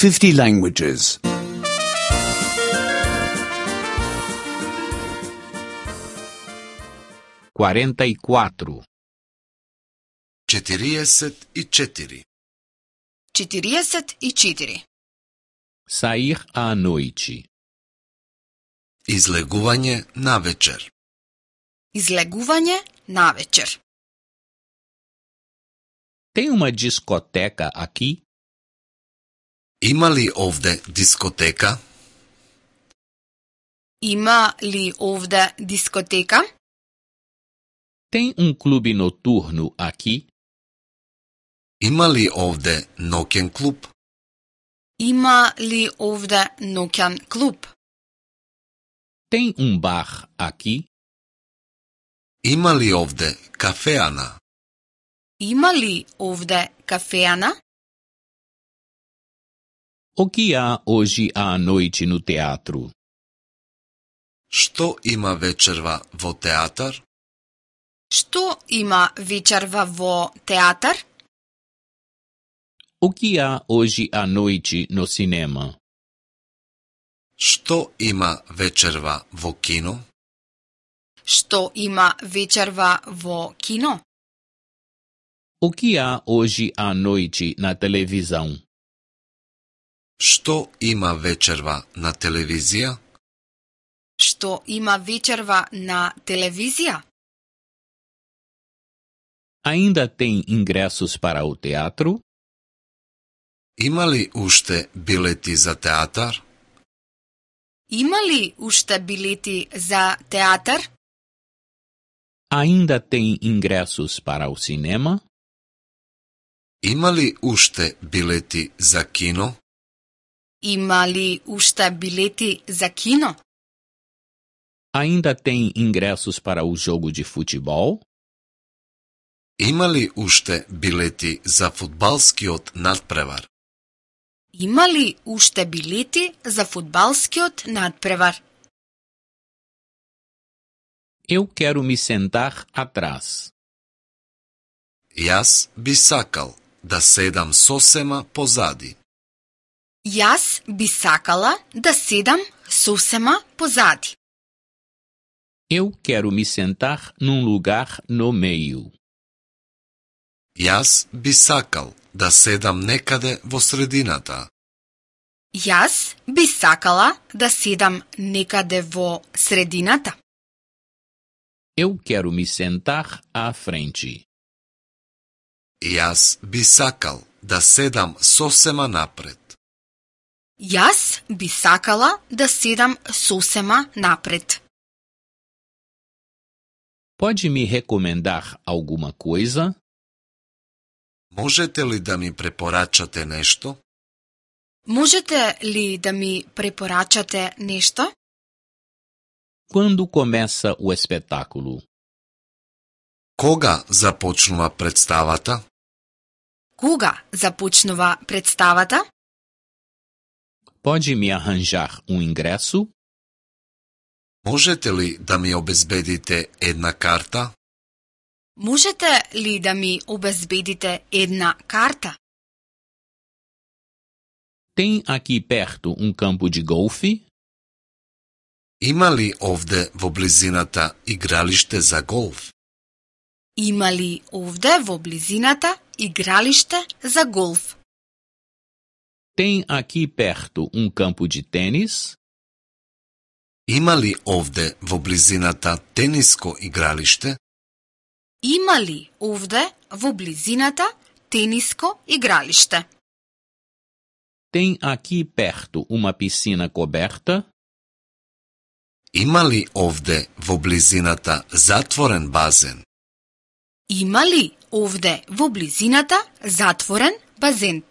50 languages. 44. 44. 44. Sair à noite. Излегување навечер. Излегување навечер. Tem uma discoteca aqui? Има ли овде дискотека? Има ли овде дискотека? Tem clube noturno aqui? Има ли овде ноќен клуб? Има ли овде ноќен клуб? Tem bar aqui? Има ли овде кафеана? Има ли овде кафеана? O que há hoje à noite no teatro? Што има вечерва во театар? Што има вечерва во театар? O que há hoje à noite no cinema? Што има вечерва во кино? Што има вечерва во кино? O que há hoje à noite na televisão? Што има вечерва на телевизија? Што има вечерва на телевизија? Ainda tem ingressos para o teatro? Има ли уште билети за театар? Има ли уште билети за театар? Ainda tem ingressos para o cinema? Има ли уште билети за кино? Има ли уште билети за кино? Ainda tem ingressos para o jogo de futebol? Има ли уште билети за фудбалскиот надпревар? Има ли уште билети за фудбалскиот надпревар? Eu quero me sentar atrás. Јас би сакал да седам сосема позади. Јас би сакала да седам сосема позади. Eu quero me sentar num lugar no meio. Јас би сакал да седам некаде во средината. Јас би сакала да седам некаде во средината. Eu quero me sentar à frente. Јас би сакал да седам сосема напред. Јас би сакала да седам сосема напред. Pode me recomendar alguma coisa? Можете ли да ми препорачате нешто? Можете ли да ми препорачате нешто? Quando começa o espetáculo? Кога започнува представата? Кога започнува представата? Pode me arranjar ingresso? Можете ли да ми обезбедите една карта? Можете ли да ми обезбедите една карта? Tem aqui perto campo de golfe? Има ли овде во близината игралиште за голф? Има ли овде во близината игралиште за голф? Tem aqui perto campo de tênis? Има ли овде во близината тениско игралиште? Има ли овде во близината тениско игралиште? Tem aqui perto uma piscina coberta? Има ли овде во близината затворен базен? Има ли овде во близината затворен базен?